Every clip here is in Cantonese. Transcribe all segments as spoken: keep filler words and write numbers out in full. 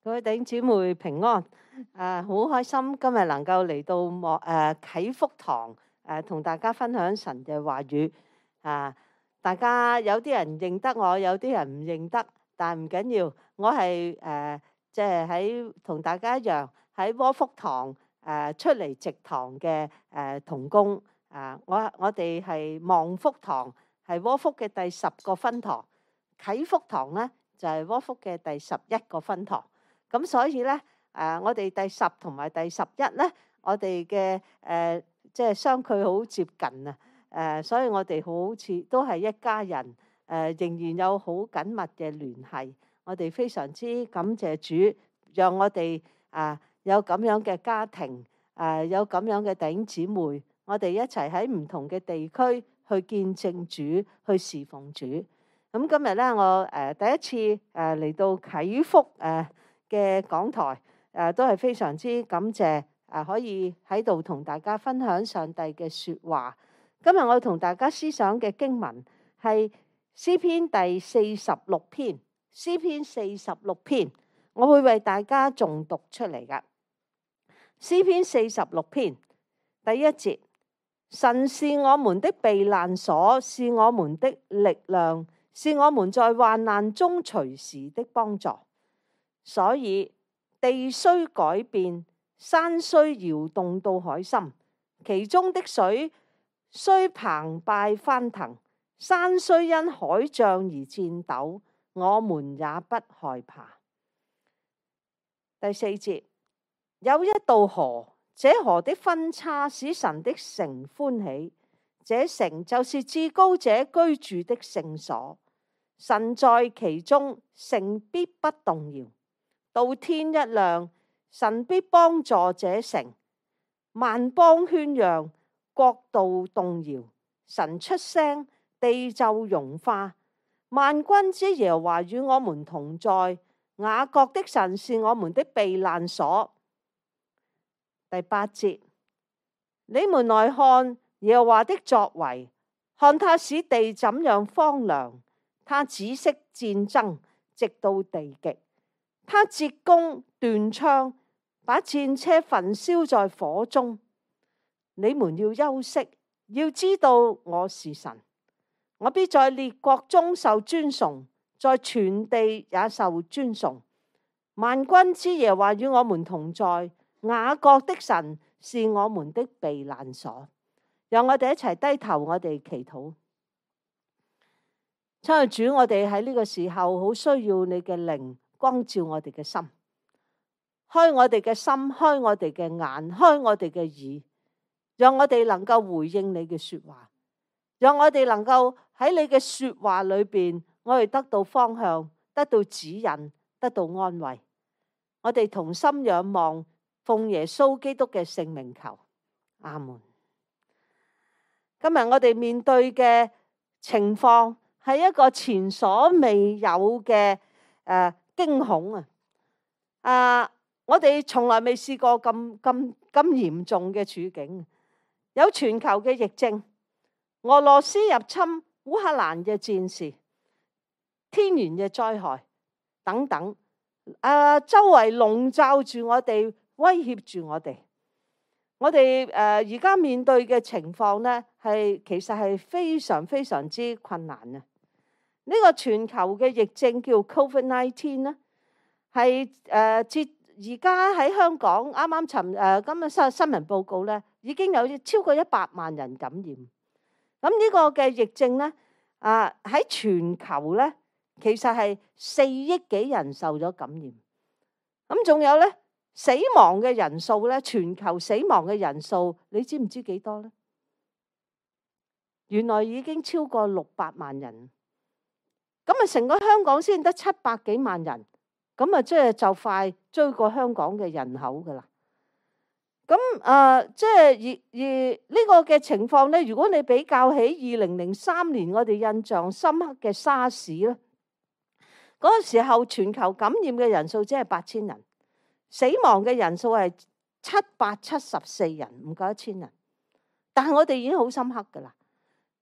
各位弟兄姊妹平安，誒好開心今日能夠嚟到莫誒啟福堂誒，同大家分享神嘅話語啊！大家有啲人認得我，有啲人唔認得，但唔緊要，我係誒即係喺同大家一樣喺窩福堂誒出嚟植堂嘅誒同工啊！我我哋係望福堂，係窩福嘅第十個分堂，啟福堂咧就係窩福嘅第十一個分堂。咁所以咧，誒我哋第十同埋第十一咧，我哋嘅誒即係相距好接近啊！誒，所以我哋好似都係一家人，誒仍然有好緊密嘅聯繫。我哋非常之感謝主，讓我哋啊有咁樣嘅家庭，誒有咁樣嘅弟兄姊妹，我哋一齊喺唔同嘅地區去見證主，去侍奉主。咁今日咧，我誒第一次誒嚟到啟福誒嘅講台，誒都係非常之感謝誒可以喺度同大家分享上帝嘅説話。今日我同大家思想嘅經文係詩篇第四十六篇，詩篇四十六篇，我會為大家誦讀出嚟㗎。詩篇四十六篇第一節：神是我們的避難所，是我們的力量，是我們在患難中隨時的幫助。所以地雖改變，山雖搖動到海深，其中的水雖澎湃翻騰，山雖因海漲而顫抖，我們也不害怕。第四節：有一道河，這河的分叉使神的城歡喜，這城就是至高者居住的聖所，神在其中，城必不動搖。到天一亮，神必幫助這城，萬邦喧嚷，國度動搖。神出聲，地就融化。萬軍之耶和華與我們同在，雅各的神是我們的避難所。第八節：你們來看耶和華的作為，看他使地怎樣荒涼，他止息戰爭，直到地極。他折弓斷槍，把戰車焚燒在火中。你們要休息，要知道我是神，我必在列國中受尊崇，在全地也受尊崇。萬軍之耶和華與我們同在，雅各的神是我們的避難所。讓我哋一齊低頭，我哋祈禱。親愛主，我哋喺呢個時候好需要你嘅靈光照我哋嘅心，開我哋嘅心，開我哋嘅眼，開我哋嘅耳，讓我哋能夠回應你嘅說話，讓我哋能夠喺你嘅說話裏邊，我哋得到方向，得到指引，得到安慰。我哋同心仰望，奉耶穌基督嘅聖名求，阿門。今日我哋面對嘅情況係一個前所未有嘅誒驚恐啊！啊，我哋從來未試過咁咁咁嚴重嘅處境，有全球嘅疫症，俄羅斯入侵烏克蘭嘅戰事，天然嘅災害等等，啊，周圍籠罩住我哋，威脅住我哋。我哋誒而家面對嘅情況咧，係其實係非常非常之困難啊！呢個全球嘅疫症叫 Covid 十九 咧，係誒至而家喺香港啱啱尋誒今日新新聞報告咧，已經有超過一百萬人感染。咁呢個嘅疫症咧，啊喺全球咧，其實係四億幾人受咗感染。咁仲有咧，死亡嘅人數咧，全球死亡嘅人數，你知唔知幾多咧？原來已經超過六百萬人。咁啊，成個香港先得七百幾萬人，咁啊，即係就快追過香港嘅人口噶啦。咁啊，即係而而呢個嘅情況咧，如果你比較起二零零三年我哋印象深刻嘅沙士咧，嗰個時候全球感染嘅人數只係八千人，死亡嘅人數係七百七十四人，唔夠一千人。但係我哋已經好深刻噶啦。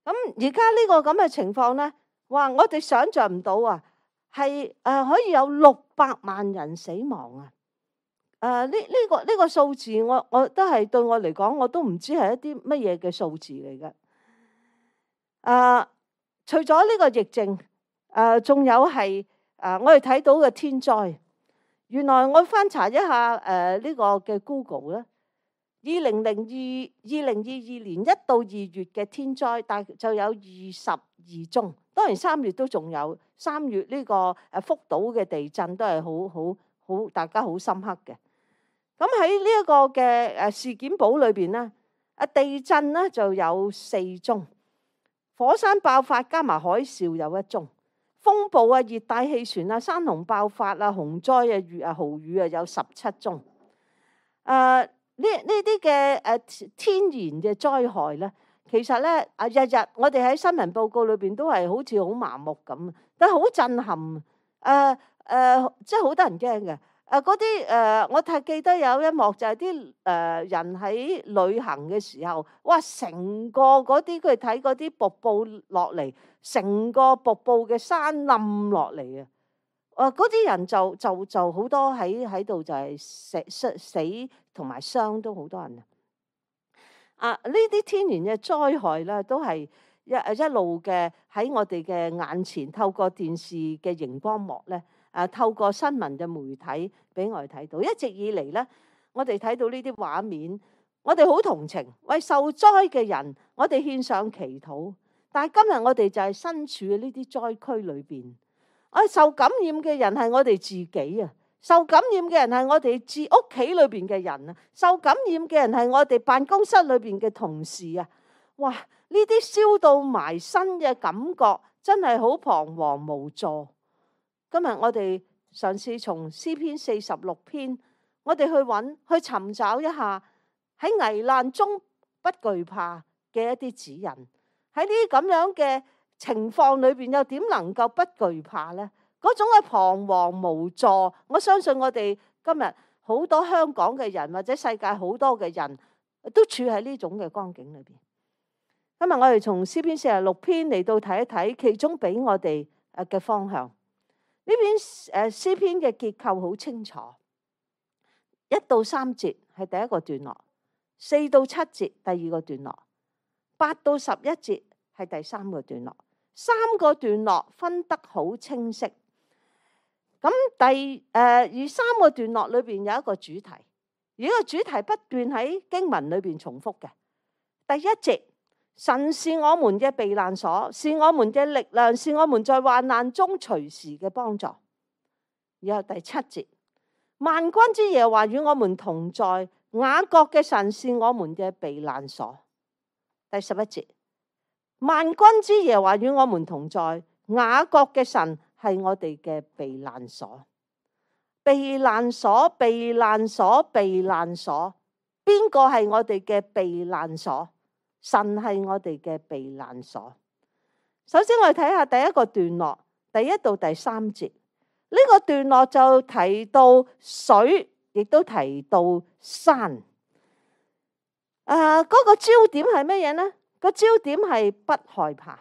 咁而家呢個咁嘅情況咧，哇！我哋想象唔到啊！係誒可以有六百萬人死亡啊！誒呢呢個呢、呢個數字我，我我都係對我嚟講，我都唔知係一啲乜嘢嘅數字嚟嘅。誒、呃，除咗呢個疫症，誒、呃、仲有係誒、呃、我哋睇到嘅天災。原來我翻查一下誒呢、呃呢個嘅 Google 咧，二零零二二零二二年一到二月嘅天災，大就有二十二宗。當然三月都仲有，三月呢個誒福島嘅地震都係好好好大家好深刻嘅。咁喺呢一個嘅誒事件簿裏邊咧，啊地震咧就有四宗，火山爆發加埋海嘯有一宗，風暴啊、熱帶氣旋啊、山洪爆發啊、洪災啊、雨啊、豪雨啊有十七宗。誒呢呢啲嘅誒天然嘅災害咧，其實咧啊日日我哋喺新聞報告裏邊都係好似好麻木咁，但係好震撼。誒、呃、誒、呃，即係好得人驚嘅。誒嗰啲誒，我太記得有一幕就係啲誒人喺旅行嘅時候，哇！成個嗰啲佢睇嗰啲瀑布落嚟，成個瀑布嘅山冧落嚟啊！誒嗰啲人就就就好多喺喺度就係死死死同埋傷都好多人啊！啊，呢啲天然嘅災害咧，都係一一路嘅喺我哋嘅眼前，透過電視嘅熒光幕咧。誒透過新聞嘅媒體俾我哋睇到，一直以嚟咧，我哋睇到呢啲畫面，我哋好同情，為受災嘅人，我哋獻上祈禱。但係今日我哋就係身處喺呢啲災區裏邊，啊受感染嘅人係我哋自己啊，受感染嘅人係我哋自屋企裏邊嘅人啊，受感染嘅人係我哋辦公室裏邊嘅同事啊，哇！呢啲燒到埋身嘅感覺真係好彷徨無助。今日我哋嘗試從詩篇四十六篇，我哋去揾去尋找一下喺危難中不懼怕嘅一啲指引。喺呢啲咁樣嘅情況裏邊，又點能夠不懼怕呢？嗰種嘅彷徨無助，我相信我哋今日好多香港嘅人或者世界好多嘅人都處喺呢種嘅光景裏邊。今日我哋從詩篇四十六篇嚟到睇一睇，其中俾我哋誒嘅方向。呢篇誒詩篇嘅結構好清楚，一到三節係第一個段落，四到七節第二個段落，八到十一節係第三個段落，三個段落分得好清晰。咁第誒而三個段落裏邊有一個主題，而呢個主題不斷喺經文裏邊重複嘅。第一節，神是我們嘅避難所，是我們嘅力量，是我們在患難中隨時嘅幫助。然後第七節，萬軍之耶和華與我們同在，雅各嘅神是我們嘅避難所。第十一節，萬軍之耶和華與我們同在，雅各嘅神係我哋嘅避難所。避難所，避難所，避難所，邊個係我哋嘅避難所？神係我哋嘅避難所。首先我哋睇下第一個段落，第一到第三節。呢、這個段落就提到水，亦都提到山。誒、呃，嗰、那個焦點係乜嘢呢？個焦點係不害怕。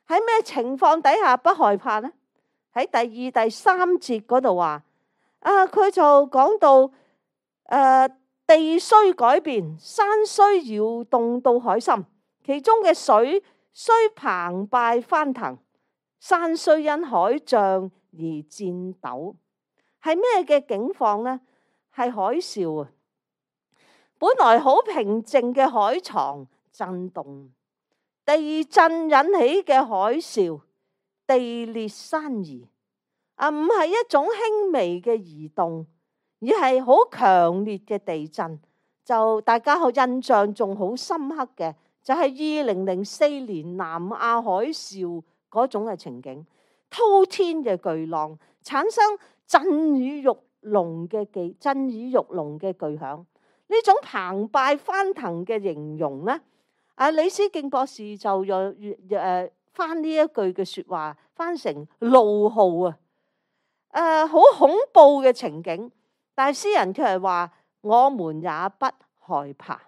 喺咩情況底下不害怕呢？喺第二、第三節嗰度話，啊，佢就講到誒。呃地雖改變，山雖搖動到海心，其中嘅水雖澎湃翻騰，山雖因海漲而顫抖。係咩嘅境況呢？係海嘯啊！本來好平靜嘅海床震動，地震引起嘅海嘯，地裂山移啊，唔係一種輕微嘅移動，而係好強烈嘅地震。就大家好印象仲好深刻嘅，就係二零零四年南亞海嘯嗰種嘅情景，滔天嘅巨浪產生震耳欲聾嘅巨震耳欲聾嘅巨響。呢種澎湃翻騰嘅形容咧，阿李思敬博士就用誒翻呢一句嘅説話，翻成怒號啊！誒、呃，好恐怖嘅情景，但係詩人卻係話，我們也不害怕。誒、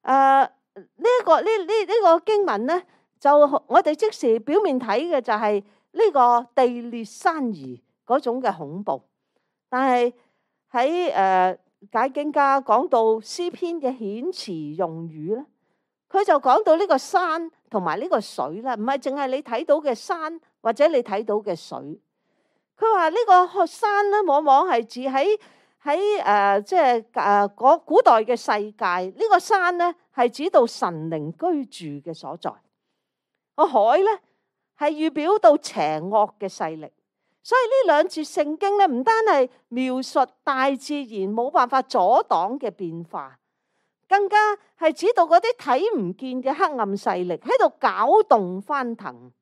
呃，呢、這、一個呢呢呢個經文咧，就我哋即時表面睇嘅就係呢個地裂山移嗰種嘅恐怖。但係喺誒解經家講到詩篇嘅遣詞用語咧，佢就講到呢個山同埋呢個水啦，唔係淨係你睇到嘅山或者你睇到嘅水。佢話呢個山咧，往往係指喺喺誒即係誒嗰古代嘅世界，呢個山咧係指到神靈居住嘅所在。個海咧係預表到邪惡嘅勢力。所以呢兩節聖經咧，唔單係描述大自然冇辦法阻擋嘅變化，更加係指到嗰啲睇唔見嘅黑暗勢力喺度攪動翻騰。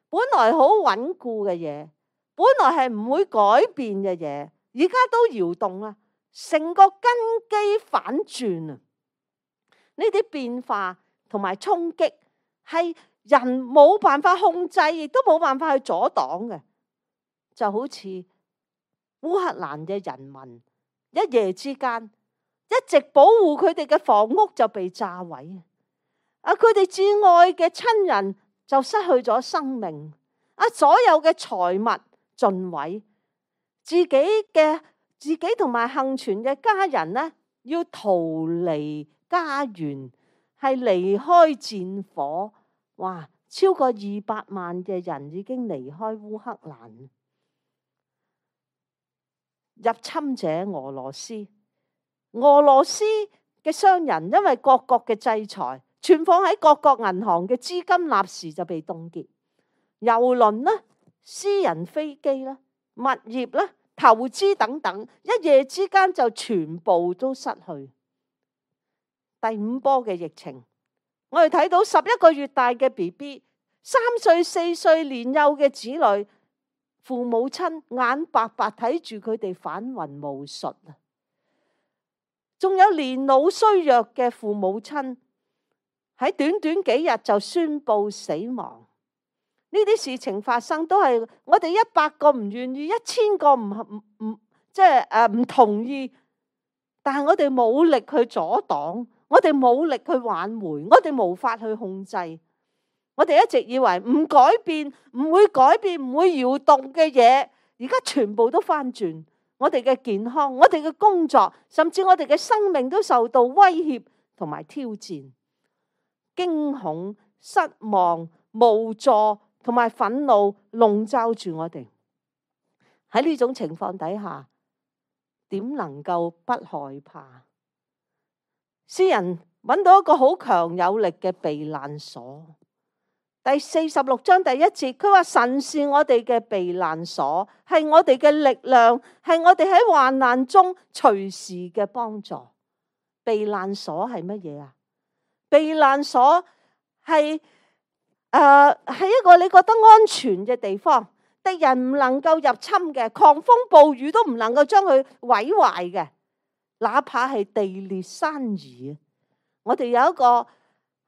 本來好穩固嘅嘢，本來係唔會改變嘅嘢，而家都搖動啦，成個根基反轉啊！呢啲變化同埋衝擊係人冇辦法控制，亦都冇辦法去阻擋嘅。就好似烏克蘭嘅人民一夜之間一直保護佢哋嘅房屋就被炸毀啊！佢哋至愛嘅親人就失去咗生命啊！所有嘅財物盡毀，自己嘅自己同埋幸存嘅家人呢，要逃離家園，係離開戰火。哇！超過二百萬嘅人已經離開烏克蘭。入侵者俄羅斯，俄羅斯嘅商人因為各國嘅制裁，存放喺各國銀行嘅資金立時就被凍結，郵輪啦、私人飛機啦、物業啦、投資等等，一夜之間就全部都失去。第五波嘅疫情，我哋睇到十一個月大嘅 B B， 三歲四歲年幼嘅子女，父母親眼白白睇住佢哋返魂無術啊！仲有年老衰弱嘅父母親喺短短幾日就宣布死亡。呢啲事情發生都係我哋一百個唔願意，一千個唔唔唔即係誒唔同意，但係我哋冇力去阻擋，我哋冇力去挽回，我哋無法去控制。我哋一直以為唔改變，唔會改變，唔會搖動嘅嘢，而家全部都翻轉。我哋嘅健康，我哋嘅工作，甚至我哋嘅生命都受到威脅同埋挑戰。驚恐、失望、無助同埋憤怒籠罩住我哋。喺呢種情況底下，點能夠不害怕？詩人揾到一個好強有力嘅避難所。第四十六章第一節，佢話神是我哋嘅避難所，係我哋嘅力量，係我哋喺患難中隨時嘅幫助。避難所係乜嘢啊？避難所係誒係一個你覺得安全嘅地方，敵人唔能夠入侵嘅，狂風暴雨都唔能夠將佢毀壞嘅，哪怕係地裂山移。我哋有一個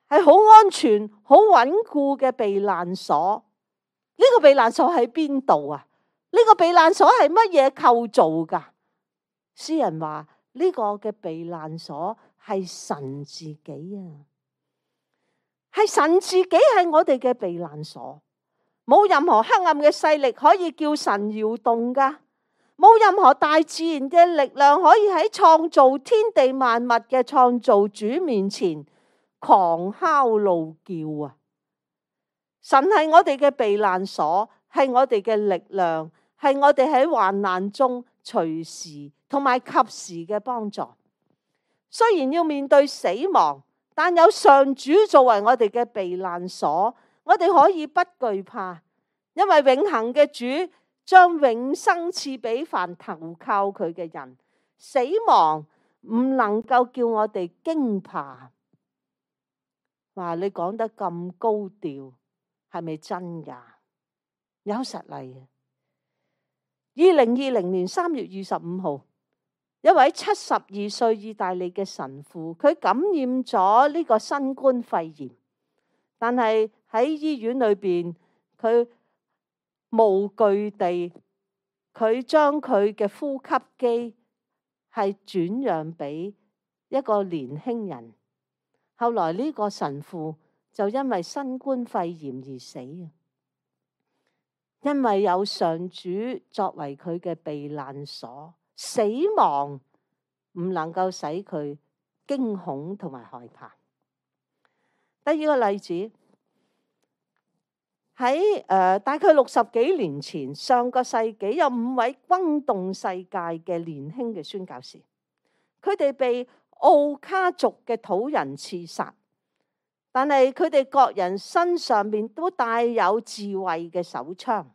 係好安全、好穩固嘅避難所。呢個避難所喺邊度啊？呢個避難所係乜嘢構造噶？詩人話呢個嘅避難所係神自己啊，係神自己係我哋嘅避難所。冇任何黑暗嘅勢力可以叫神搖動噶，冇任何大自然嘅力量可以喺創造天地萬物嘅創造主面前狂哮怒叫啊！神係我哋嘅避難所，係我哋嘅力量，係我哋喺患難中隨時同埋及時嘅幫助。雖然要面對死亡，但有上主作為我哋嘅避難所，我哋可以不懼怕，因為永恆嘅主將永生賜俾凡投靠佢嘅人。死亡唔能夠叫我哋驚怕。話你講得咁高調，係咪真噶？有實例。二零二零年三月二十五號，一位七十二歲意大利嘅神父，佢感染咗呢個新冠肺炎，但係喺醫院裏邊，佢無懼地，佢將佢嘅呼吸機係轉讓俾一個年輕人。後來呢個神父就因為新冠肺炎而死。因為有上主作為佢嘅避難所，死亡唔能夠使佢驚恐同埋害怕。第二個例子，喺誒、呃、大概六十幾年前，上個世紀有五位轟動世界嘅年輕嘅宣教士，佢哋被奧卡族嘅土人刺殺，但係佢哋各人身上面都帶有自衛嘅手槍，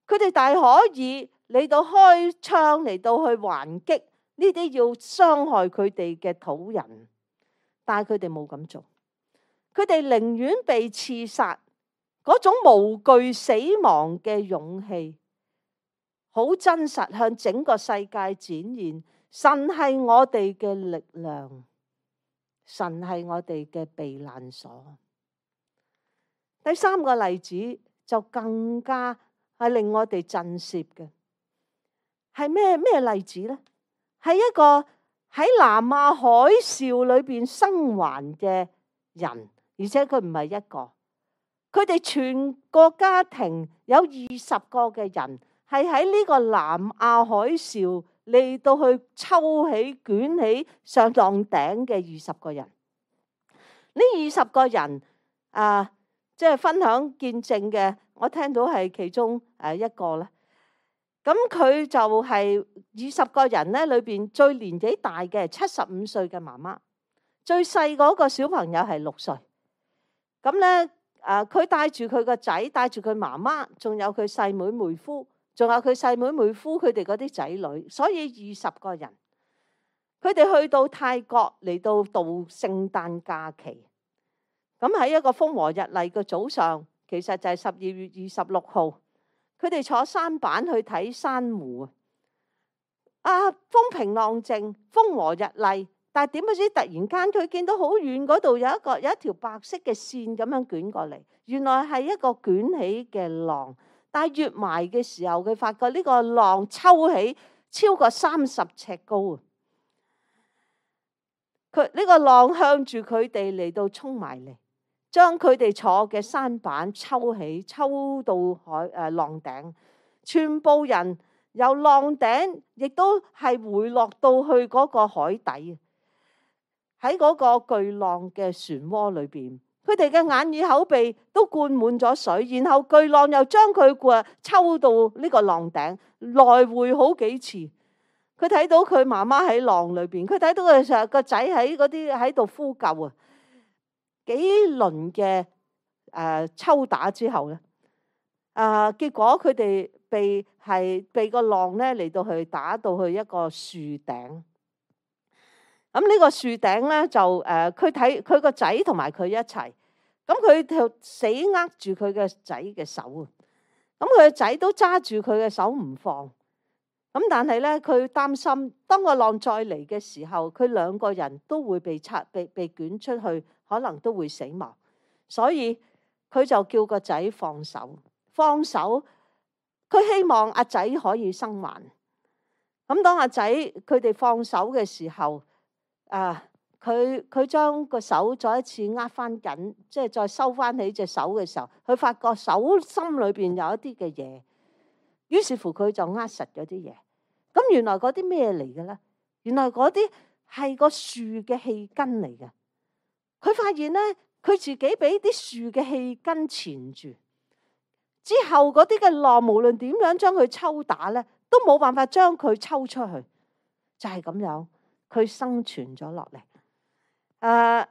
佢哋大可以嚟到開槍嚟到去還擊呢啲要傷害佢哋嘅土人，但係佢哋冇咁做，佢哋寧願被刺殺，嗰種無懼死亡嘅勇氣，好真實向整個世界展現。神係我哋嘅力量，神係我哋嘅避難所。第三個例子就更加係令我哋震懾嘅，係咩咩例子呢？係一個喺南亞海嘯裏邊生還嘅人，而且佢唔係一個，佢哋全個家庭有二十個嘅人，係喺呢個南亞海嘯嚟到去抽起捲起上浪頂嘅二十個人。呢二十個人啊，即係分享見證嘅，我聽到係其中誒一個咧。咁佢就係二十個人咧裏邊最年紀大嘅七十五歲嘅媽媽，最細嗰個小朋友係六歲。咁咧誒，佢帶住佢個仔，帶住佢媽媽，仲有佢細妹妹夫，仲有佢細妹妹夫佢哋嗰啲仔女，所以二十個人。佢哋去到泰國嚟到度聖誕假期。咁喺一個風和日麗嘅早上，其實就係十二月二十六號。佢哋坐舢板去睇珊瑚啊！風平浪靜，風和日麗，但係點不知突然間佢見到好遠嗰度有一個有一條白色嘅線咁樣捲過嚟，原來係一個捲起嘅浪。但係越埋嘅時候，佢發覺呢個浪抽起超過三十尺高啊！佢呢個浪向住佢哋嚟到衝埋嚟，將佢哋坐嘅舢板抽起，抽到海誒浪頂，全部人由浪頂亦都係回落到去嗰個海底，喺嗰個巨浪嘅漩渦裏邊，佢哋嘅眼耳口鼻都灌滿咗水，然後巨浪又將佢過抽到呢個浪頂，來回好幾次。佢睇到佢媽媽喺浪裏邊，佢睇到佢成個仔喺嗰啲喺度呼救啊！幾輪嘅誒抽打之後咧，啊、呃、結果佢哋被係被個浪咧嚟到去打到去一個樹頂。咁呢個樹頂咧就誒，佢睇佢個仔同埋佢一齊，咁佢就死握住佢嘅仔嘅手啊！咁佢個仔都揸住佢嘅手唔放。咁但係咧，佢擔心當個浪再嚟嘅時候，佢兩個人都會被拆、被被捲出去，可能都會死亡。所以佢就叫個仔放手，放手。佢希望阿仔可以生還。咁當阿仔佢哋放手嘅時候，啊，佢佢將個手再一次握翻緊，即係再收翻起隻手嘅時候，佢發覺手心裏邊有一啲嘅嘢。於是乎佢就握實咗啲嘢，咁原來嗰啲咩嚟嘅咧？原來嗰啲係個樹嘅氣根嚟嘅。佢發現咧，佢自己俾啲樹嘅氣根纏住，之後嗰啲嘅浪無論點樣將佢抽打咧，都冇辦法將佢抽出去，就係咁樣，佢生存咗落嚟。誒，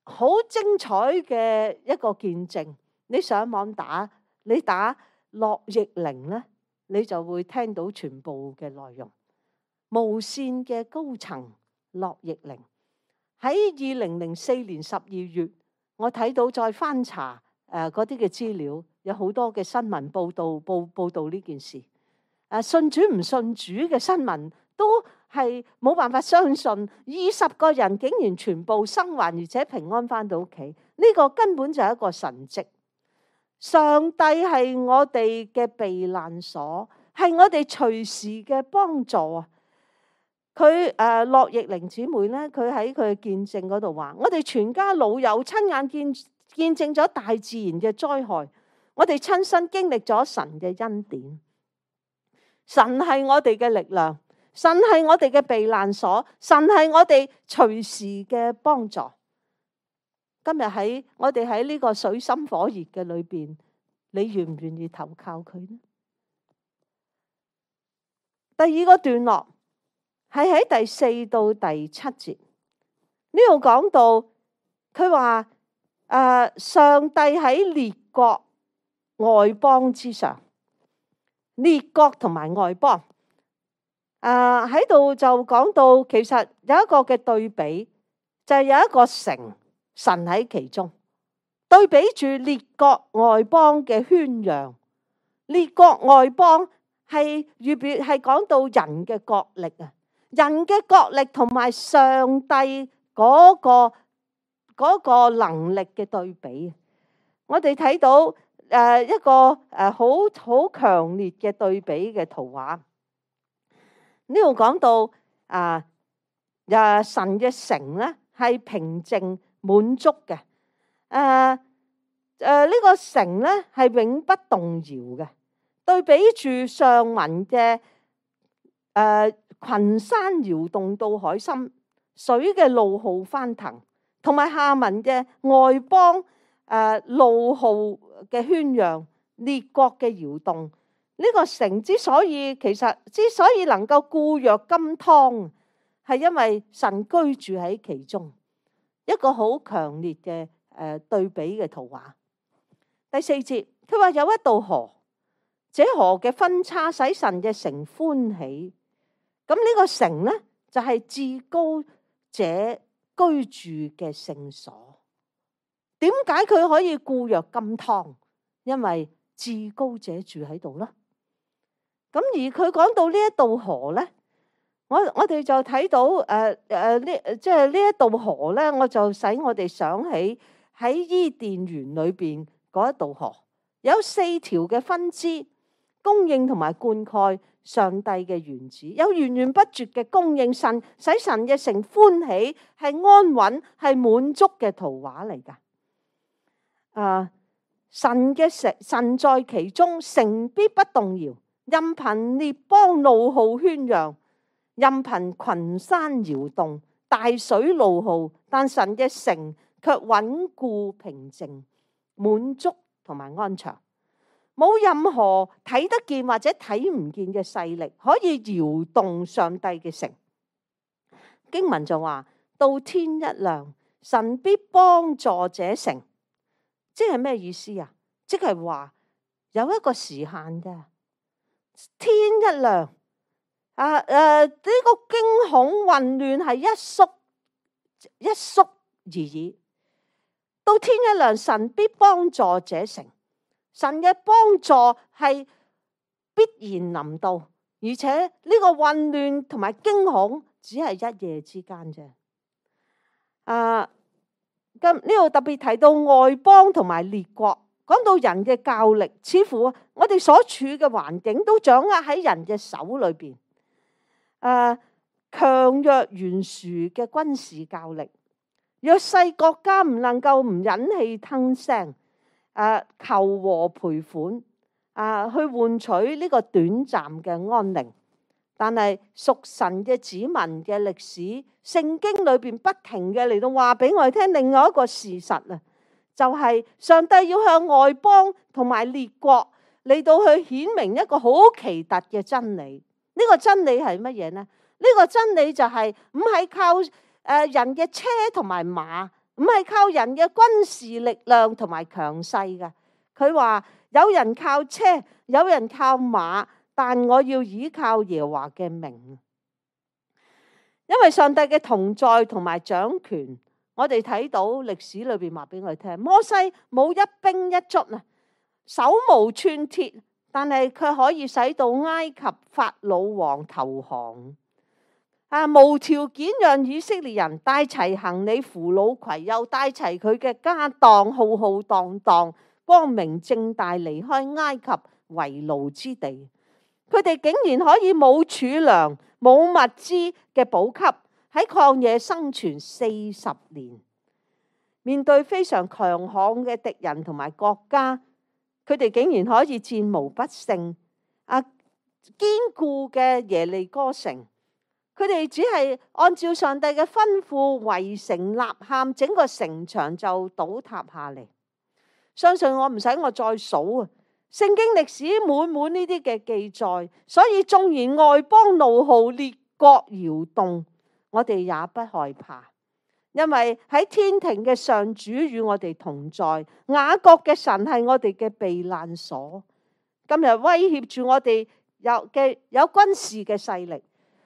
好精彩嘅一個見證。你上網打，你打。樂易玲咧，你就會聽到全部嘅內容。無線嘅高層樂易玲喺二零零四年十二月，我睇到再翻查誒嗰啲嘅資料，有好多嘅新聞報道報報道呢件事。誒，信主唔信主嘅新聞都係冇辦法相信，二十個人竟然全部生還，而且平安翻到屋企，呢個根本就係一個神蹟。上帝係我哋嘅避難所，係我哋隨時嘅幫助啊！佢誒樂易玲姊妹咧，佢喺佢嘅見證嗰度話：我哋全家老友親眼見見證咗大自然嘅災害，我哋親身經歷咗神嘅恩典。神係我哋嘅力量，神係我哋嘅避難所，神係我哋隨時嘅幫助。今日喺我哋喺呢個水深火熱嘅裏邊，你願唔願意投靠佢呢？第二個段落係喺第四到第七節，呢度講到佢話誒，上帝喺列國外邦之上，列國同埋外邦誒喺度就講到，其實有一個嘅對比，就係有一個城，神喺其中，對比住列國外邦嘅圈養。列國外邦係預表係講到人嘅國力啊，人嘅國力同埋上帝嗰個嗰個能力嘅對比。我哋睇到誒一個誒好好強烈嘅對比嘅圖畫。呢度講到啊，誒神嘅城咧係平靜滿足嘅，誒誒呢個城咧係永不動搖嘅。對比住上文嘅誒群山搖動到海深，水嘅怒號翻騰，同埋下文嘅外邦誒怒號嘅喧嚷，列國嘅搖動。呢、這個城之所以其實之所以能夠固若金湯，係因為神居住喺其中，一個好強烈嘅誒對比嘅圖畫。第四節佢話有一道河，這河嘅分叉使神嘅城歡喜。咁呢個城呢，就係至高者居住嘅聖所。點解佢可以固若金湯？因為至高者住喺度啦。咁而佢講到呢一道河呢，我我哋就睇到誒誒呢，即係呢一道河呢，我就使我哋想起喺伊甸園裏邊嗰一道河，有四條嘅分支，供應同埋灌溉上帝嘅園子，有源源不絕嘅供應，神使神嘅城歡喜，係安穩，係滿足嘅圖畫嚟㗎。啊，神嘅城，神在其中，城必不動搖。任憑列邦怒號喧嚷，任憑群山搖動，大水怒號，但神嘅城卻穩固平靜，滿足同埋安詳。冇任何睇得見或者睇唔見嘅勢力可以搖動上帝嘅城。經文就話到天一亮，神必幫助這城。即係咩意思啊？即係話有一個時限嘅。天一亮，啊誒，呢、呃這個驚恐混亂係一縮一縮而已。到天一亮，神必幫助這城。神嘅幫助係必然臨到，而且呢個混亂同埋驚恐只係一夜之間啫。啊，咁呢度特別提到外邦同埋列國。講到人嘅教力，似乎我哋所處嘅環境都掌握喺人嘅手裏邊。誒、呃，強弱懸殊嘅軍事教力，弱勢國家唔能夠唔忍氣吞聲，誒、呃，求和賠款，啊、呃，去換取呢個短暫嘅安寧。但係屬神嘅子民嘅歷史，聖經裏邊不停嘅嚟到話俾我哋聽另外一個事實啊。就係上帝要向外邦同埋列國嚟到去顯明一個好奇特嘅真理。呢個真理係乜嘢呢？呢個真理就係唔係靠誒人嘅車同埋馬，唔係靠人嘅軍事力量同埋強勢嘅。佢話有人靠車，有人靠馬，但我要倚靠耶和華嘅名。因為上帝嘅同在同埋掌權。我哋睇到歷史裏邊話俾我哋聽，摩西冇一兵一卒啊，手無寸鐵，但係佢可以使到埃及法老王投降啊，無條件讓以色列人帶齊行李、扶老攜幼，帶齊佢嘅家當，浩浩蕩蕩、光明正大離開埃及為奴之地。佢哋竟然可以冇儲糧、冇物資嘅補給。喺曠野生存四十年，面對非常強悍嘅敵人同埋國家，佢哋竟然可以戰無不勝。啊，堅固嘅耶利哥城，佢哋只係按照上帝嘅吩咐圍城吶喊，整個城牆就倒塌下嚟。相信我唔使我再數啊，聖經歷史滿滿呢啲嘅記載，所以縱然外邦怒號，列國搖動，我哋也不害怕，因為喺天庭嘅上主與我哋同在，雅各嘅神係我哋嘅避難所。今日威脅住我哋有嘅有軍事嘅勢力，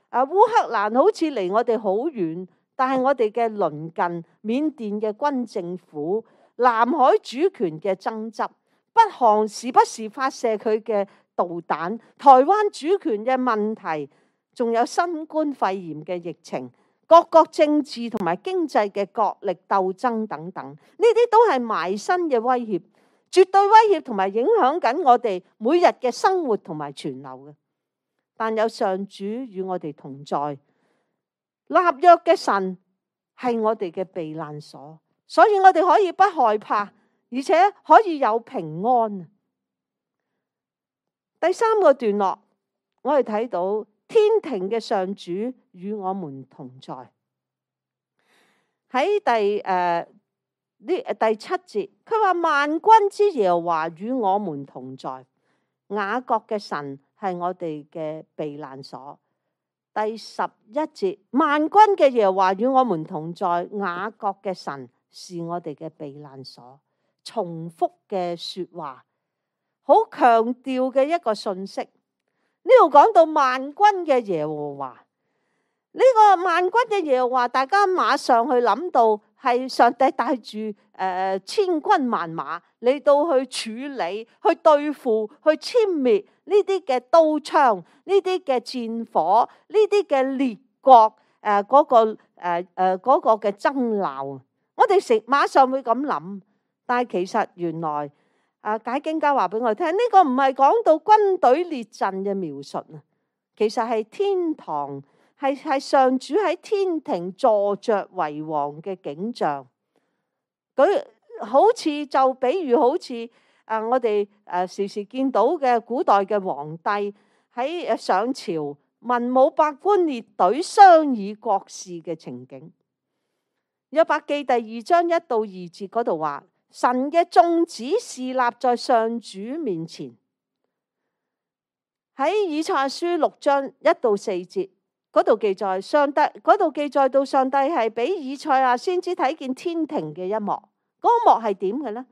啊，烏克蘭好似離我哋好遠，但係我哋嘅鄰近緬甸嘅軍政府，南海主權嘅爭執，北韓時不時發射佢嘅導彈，台灣主權嘅問題，仲有新冠肺炎嘅疫情，各國政治同埋經濟嘅角力鬥爭等等，呢啲都係埋身嘅威脅，絕對威脅同埋影響緊我哋每日嘅生活同埋存留嘅。但有上主與我哋同在，立約嘅神係我哋嘅避難所，所以我哋可以不害怕，而且可以有平安。第三個段落，我哋睇到天庭嘅上主與我們同在。喺第誒呢第七節，佢話萬軍之耶和華與我們同在，雅各嘅神係我哋嘅避難所。第十一節，萬軍嘅耶和華與我們同在，雅各嘅神是我哋嘅避難所。重複嘅說話，好強調嘅一個信息。呢度講到萬軍嘅耶和華，呢個萬軍嘅耶和華，大家馬上去諗到係上帝帶住誒千軍萬馬嚟到去處理、去對付、去殲滅呢啲嘅刀槍、呢啲嘅戰火、呢啲嘅列國誒嗰個誒誒嗰個嘅爭鬧。我哋成馬上會咁諗，但係其實原來啊解經家話俾我聽，呢個唔係講到軍隊列陣嘅描述啊，其實係天堂，係係上主喺天庭坐着為王嘅景象。佢好似就比喻好似啊我哋誒時時見到嘅古代嘅皇帝喺誒上朝，文武百官列隊商議國事嘅情景。約伯記第二章一到二節嗰度話，神嘅眾子侍立在上主面前。喺以賽亞書六章一到四節嗰度記載，上帝嗰度記載到上帝係俾以賽亞先知睇見天庭嘅一幕。嗰個幕係點嘅呢？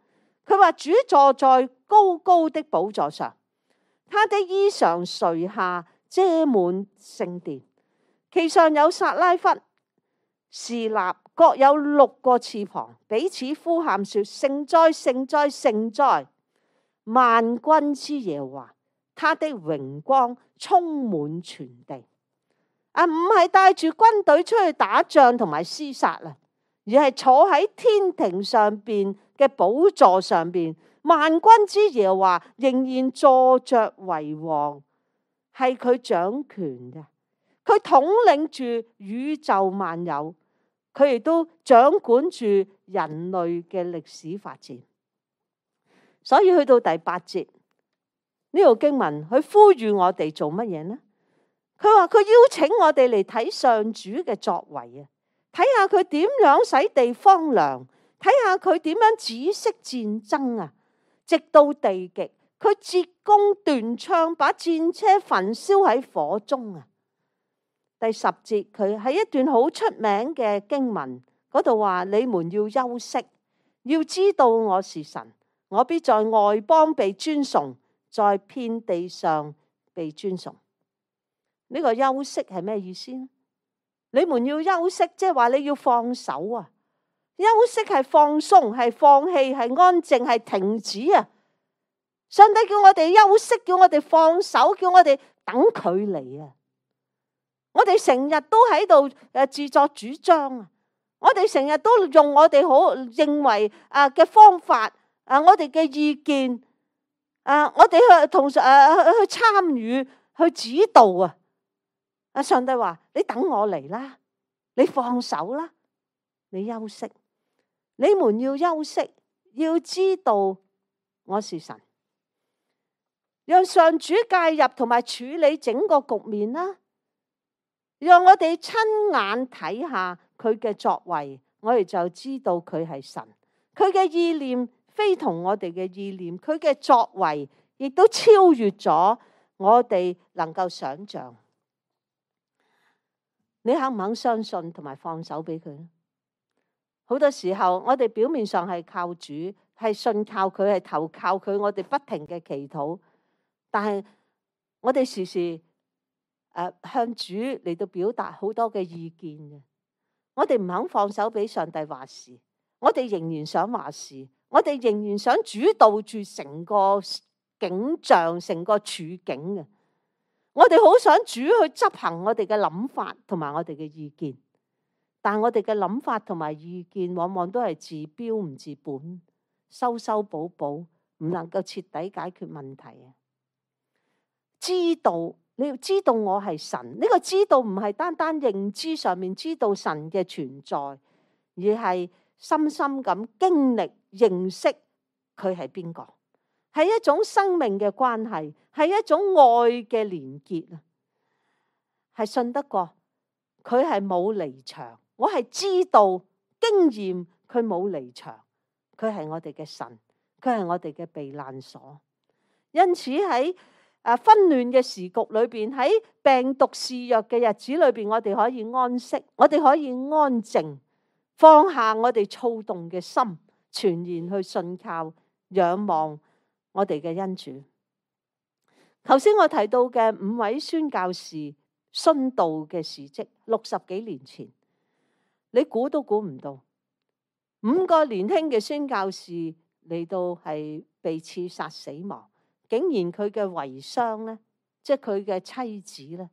佢話主坐在高高的寶座上，他的衣裳垂下遮滿聖殿，其上有撒拉弗侍立，各有六個翅膀，彼此呼喊說：聖哉，聖哉，聖哉！萬軍之耶和華，他的榮光充滿全地。啊，唔係帶住軍隊出去打仗同埋廝殺啊，而係坐喺天庭上邊嘅寶座上邊，萬軍之耶和華仍然坐着為王，係佢掌權嘅，佢統領住宇宙萬有。佢亦都掌管住人類嘅歷史發展，所以去到第八節呢度經文，佢呼籲我哋做乜嘢呢？佢話佢邀請我哋嚟睇上主嘅作為啊，睇下佢點樣使地荒涼，睇下佢點樣止息戰爭啊，直到地極，佢折弓斷槍，把戰車焚燒喺火中啊。第十節佢喺一段好出名嘅經文嗰度話：你們要休息，要知道我是神，我必在外邦被尊崇，在遍地上被尊崇。呢個休息係咩意思呢？你們要休息，即係話你要放手啊！休息係放鬆，係放棄，係安靜，係停止啊！上帝叫我哋休息，叫我哋放手，叫我哋等佢嚟啊！我哋成日都喺度誒自作主張啊！我哋成日都用我哋好認為啊嘅方法啊，我哋嘅意見啊，我哋去同誒去參與去指導啊！啊，上帝話：你等我嚟啦，你放手啦，你休息，你們要休息，要知道我是神，讓上主介入同埋處理整個局面啦，讓我哋親眼睇下佢嘅作為，我哋就知道佢係神。佢嘅意念非同我哋嘅意念，佢嘅作為亦都超越咗我哋能夠想象。你肯唔肯相信同埋放手俾佢咧？好多時候我哋表面上係靠主，係信靠佢，係投靠佢，我哋不停嘅祈禱，但係我哋時時誒、呃、向主嚟到表達好多嘅意見嘅。我哋唔肯放手俾上帝話事，我哋仍然想話事，我哋仍然想主導住成個景象、成個處境嘅。我哋好想主去執行我哋嘅諗法同埋我哋嘅意見，但我哋嘅諗法同埋意見往往都係治標唔治本，修修補補，唔能夠徹底解決問題啊！知道，你要知道我係神，呢個知道唔係單單認知上面知道神嘅存在，而係深深咁經歷認識佢係邊個。係一種生命嘅關係，係一種愛嘅連結啊！係信得過佢係冇離場，我係知道經驗佢冇離場，佢係我哋嘅神，佢係我哋嘅避難所。因此喺誒紛亂嘅時局裏邊，喺病毒肆虐嘅日子裏邊，我哋可以安息，我哋可以安靜，放下我哋躁動嘅心，全然去信靠仰望我哋嘅恩主。頭先我提到嘅五位宣教士殉道嘅事蹟，六十幾年前，你估都估唔到，五個年輕嘅宣教士嚟到係被刺殺死亡，竟然佢嘅遺孀咧，即係佢嘅妻子咧，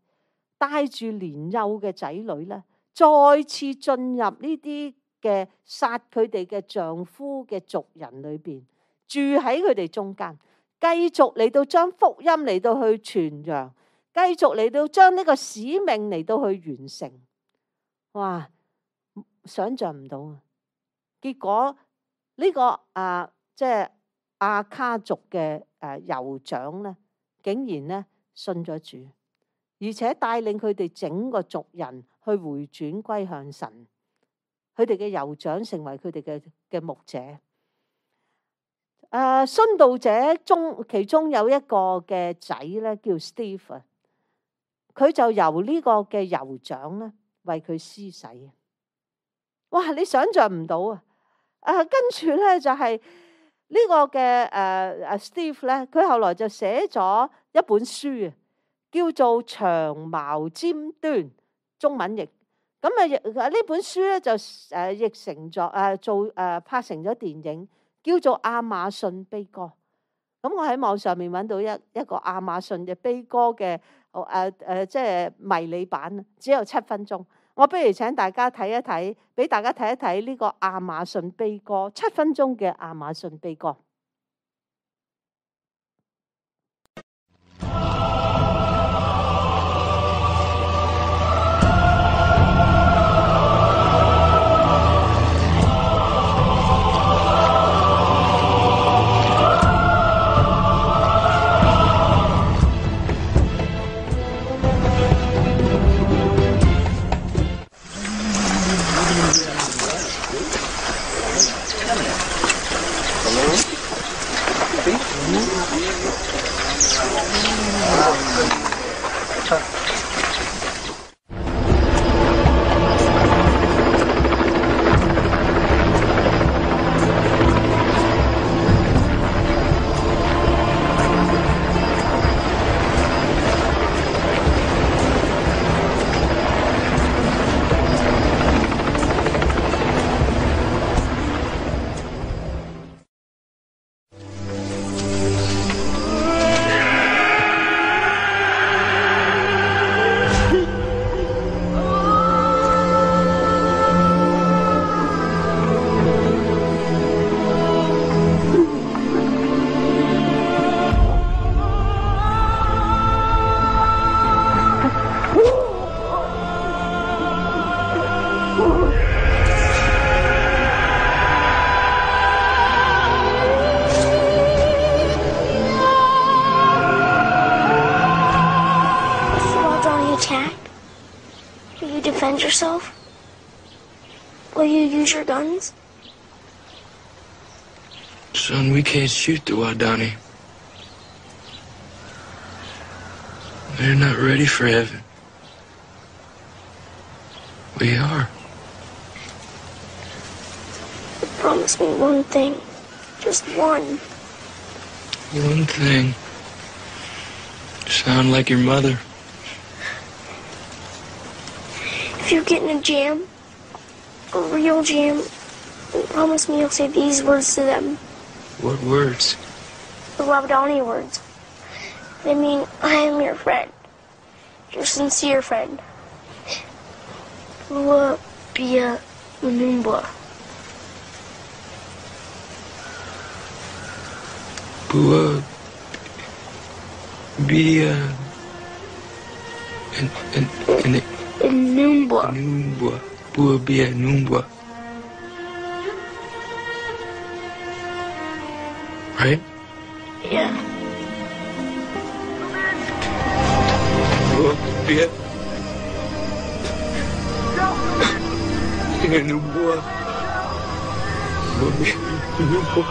帶住年幼嘅仔女咧，再次進入呢啲嘅殺佢哋嘅丈夫嘅族人裏邊，住喺佢哋中間，繼續嚟到將福音嚟到去傳揚，繼續嚟到將呢個使命嚟到去完成。哇！想象唔到啊！結果呢、這個啊，即係亞卡族嘅誒酋長咧，竟然咧信咗主，而且帶領佢哋整個族人去回轉歸向神。佢哋嘅酋長成為佢哋嘅嘅牧者。誒、呃，殉道者中其中有一個嘅仔咧，叫 Steve， 佢就由呢個嘅酋長咧為佢施洗。哇！你想象唔到啊！啊，跟住咧就係、是、呢個嘅誒誒 Steve 咧，佢後來就寫咗一本書啊，叫做《長矛尖端》，中文譯。咁啊，呢本書咧就誒譯成咗誒做誒拍成咗電影，叫做《亞馬遜悲歌》。咁我喺網上面揾到一一個亞馬遜嘅悲歌嘅誒誒，即係迷你版，只有七分鐘。我不如請大家睇一睇，俾大家睇一睇呢個亞馬遜悲歌，七分鐘嘅亞馬遜悲歌。attacked, will you defend yourself? Will you use your guns? Son, we can't shoot the Wadani. They're not ready for heaven. We are. But promise me one thing. Just one. One thing. Sound like your mother. If you get in a jam, a real jam, promise me you'll say these words to them. What words? The Wabanani words. They mean, I am your friend. Your sincere friend. Bua Bia Unumbwa. Bua Bia and and and Unumbwa. Numbwa. Bua Bia Numbwa. Right? Yeah. Bua Bia Numbwa. Bua Bia Numbwa.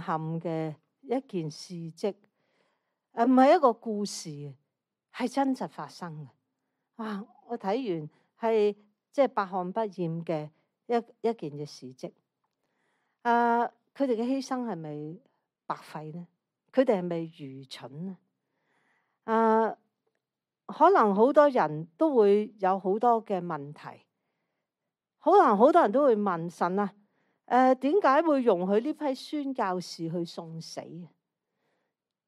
撼嘅一件事蹟，誒唔係一個故事，係真實發生嘅。哇！我睇完係即係百看不厭嘅一一件嘅事蹟。誒，佢哋嘅犧牲係咪白費呢？佢哋係咪愚蠢呢？誒，可能好多人都會有好多嘅問題，可能好多人都會問神啊，誒點解會容許呢批宣教士去送死？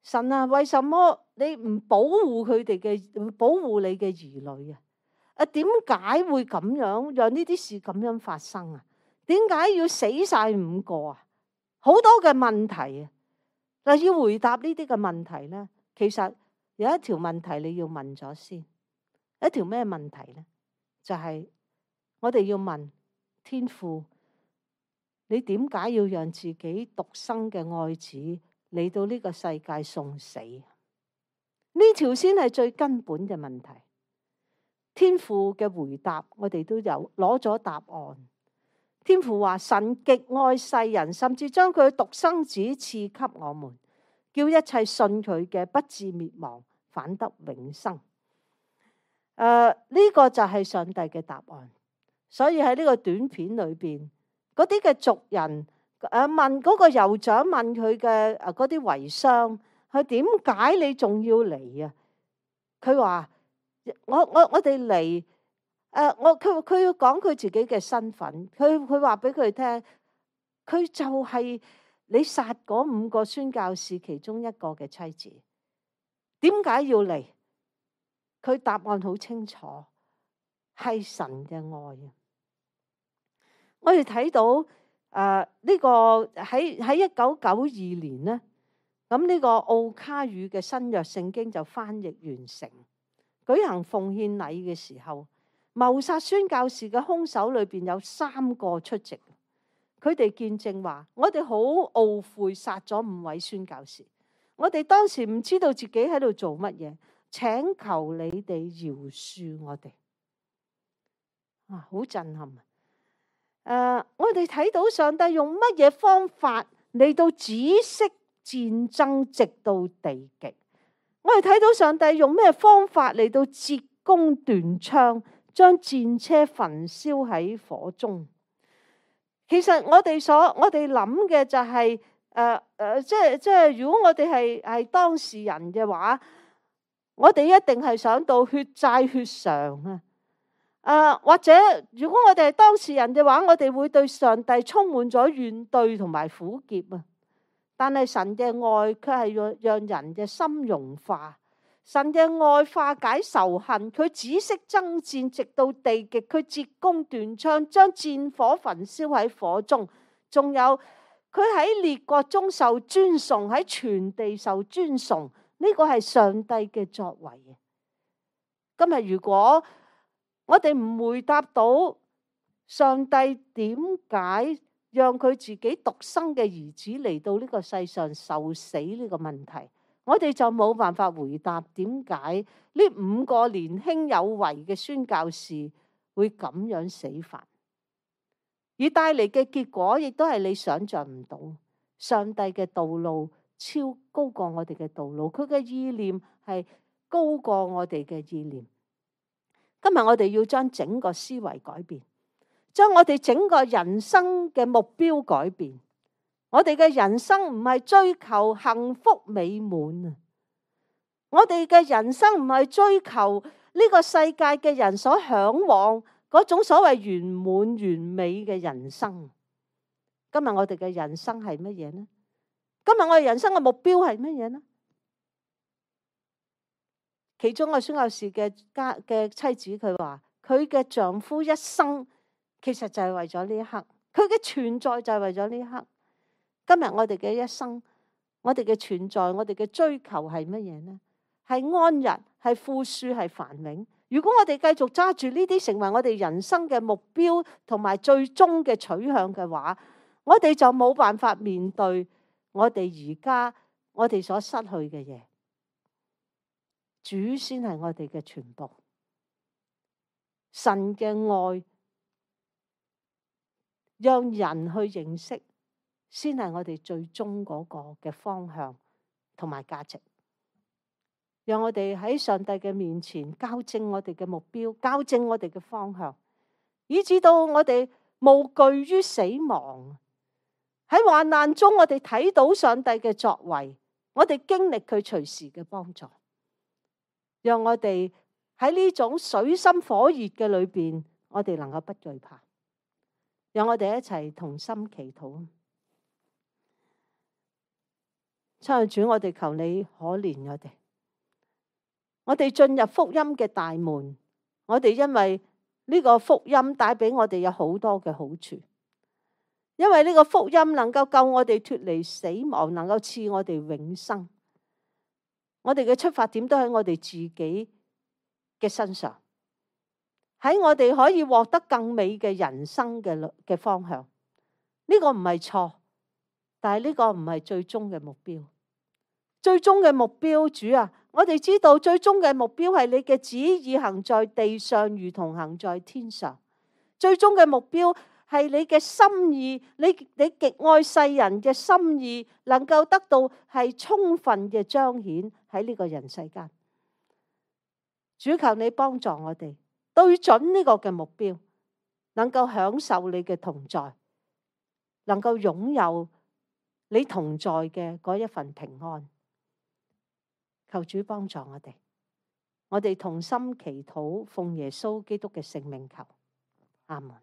神啊，為什麼你唔保護佢哋嘅，保護你嘅兒女啊？啊，點解會咁樣讓呢啲事咁樣發生啊？點解要死晒五個啊？好多嘅問題啊！嗱，要回答呢啲嘅問題咧，其實有一條問題你要問咗先。一條咩問題咧？就係我哋要問天父，你點解要讓自己獨生嘅愛子嚟到呢個世界送死？呢條先係最根本嘅問題。天父嘅回答，我哋都有攞咗答案。天父話：神極愛世人，甚至將佢獨生子賜給我們，叫一切信佢嘅不至滅亡，反得永生。誒、呃，呢、這個就係上帝嘅答案。所以喺呢個短片裏邊，嗰啲嘅族人誒問嗰個酋長問佢嘅誒嗰啲遺孀，佢點解你仲要嚟啊？佢話：我我我哋嚟。誒，我佢佢要講佢自己嘅身份，佢佢話俾佢聽，佢就係你殺嗰五個宣教士其中一個嘅妻子。點解要嚟？佢答案好清楚，係神嘅愛啊！我哋睇到誒呢、呃這個喺喺一九九二年咧，咁呢個奧卡語嘅新約聖經就翻譯完成，舉行奉獻禮嘅時候。謀殺宣教士嘅兇手裏邊有三個出席，佢哋見證話：我哋好懊悔殺咗五位宣教士，我哋當時唔知道自己喺度做乜嘢，請求你哋饒恕我哋。啊，好震撼啊！誒，我哋睇到上帝用乜嘢方法嚟到止息戰爭直到地極？我哋睇到上帝用咩方法嚟到截弓斷槍？將戰車焚燒喺火中。其實我哋所我哋諗嘅就係誒誒，即係即係，如果我哋係係當事人嘅話，我哋一定係想到血債血償啊！誒、呃，或者如果我哋係當事人嘅話，我哋會對上帝充滿咗怨懟同埋苦澀啊！但係神嘅愛卻係讓讓人嘅心融化。神嘅愛化解仇恨，佢止息爭戰直到地極，佢截弓斷槍，將戰火焚燒喺火中。仲有佢喺列國中受尊崇，喺全地受尊崇。呢、這個係上帝嘅作為。今日如果我哋唔回答到上帝點解讓佢自己獨生嘅兒子嚟到呢個世上受死呢個問題，我哋就冇辦法回答點解呢五個年輕有為嘅宣教士會咁樣死法，而帶嚟嘅結果亦都係你想象唔到。上帝嘅道路超高過我哋嘅道路，佢嘅意念係高過我哋嘅意念。今日我哋要將整個思維改變，將我哋整個人生嘅目標改變。我哋嘅人生唔係追求幸福美滿啊！我哋嘅人生唔係追求呢個世界嘅人所向往嗰種所謂圓滿完美嘅人生。今日我哋嘅人生係乜嘢呢？今日我哋人生嘅目標係乜嘢呢？其中個宣教士嘅家嘅妻子佢話：佢嘅丈夫一生其實就係為咗呢一刻，佢嘅存在就係為咗呢一刻。今日我哋嘅一生，我哋嘅存在，我哋嘅追求係乜嘢呢？係安逸，係富庶，係繁榮。如果我哋繼續揸住呢啲成為我哋人生嘅目標同埋最終嘅取向嘅話，我哋就冇辦法面對我哋而家我哋所失去嘅嘢。主先係我哋嘅全部，神嘅愛讓人去認識。先係我哋最終嗰個嘅方向同埋價值。讓我哋喺上帝嘅面前校正我哋嘅目標，校正我哋嘅方向，以至到我哋無懼於死亡。喺患難中，我哋睇到上帝嘅作為，我哋經歷佢隨時嘅幫助。讓我哋喺呢種水深火熱嘅裏邊，我哋能夠不懼怕。讓我哋一齊同心祈禱。親愛主，我哋求你可憐我哋。我哋進入福音嘅大門，我哋因為呢個福音帶俾我哋有好多嘅好處，因為呢個福音能夠救我哋脫離死亡，能夠賜我哋永生。我哋嘅出發點都喺我哋自己嘅身上，喺我哋可以獲得更美嘅人生嘅嘅方向。呢個唔係錯，但係呢個唔係最終嘅目標。最終嘅目標，主啊，我哋知道最終嘅目標係你嘅旨意行在地上，如同行在天上。最終嘅目標係你嘅心意，你你極愛世人嘅心意，能夠得到係充分嘅彰顯喺呢個人世間。主，求你幫助我哋對準呢個嘅目標，能夠享受你嘅同在，能夠擁有你同在嘅嗰一份平安。求主幫助我哋，我哋同心祈禱，奉耶穌基督嘅聖名求，阿門。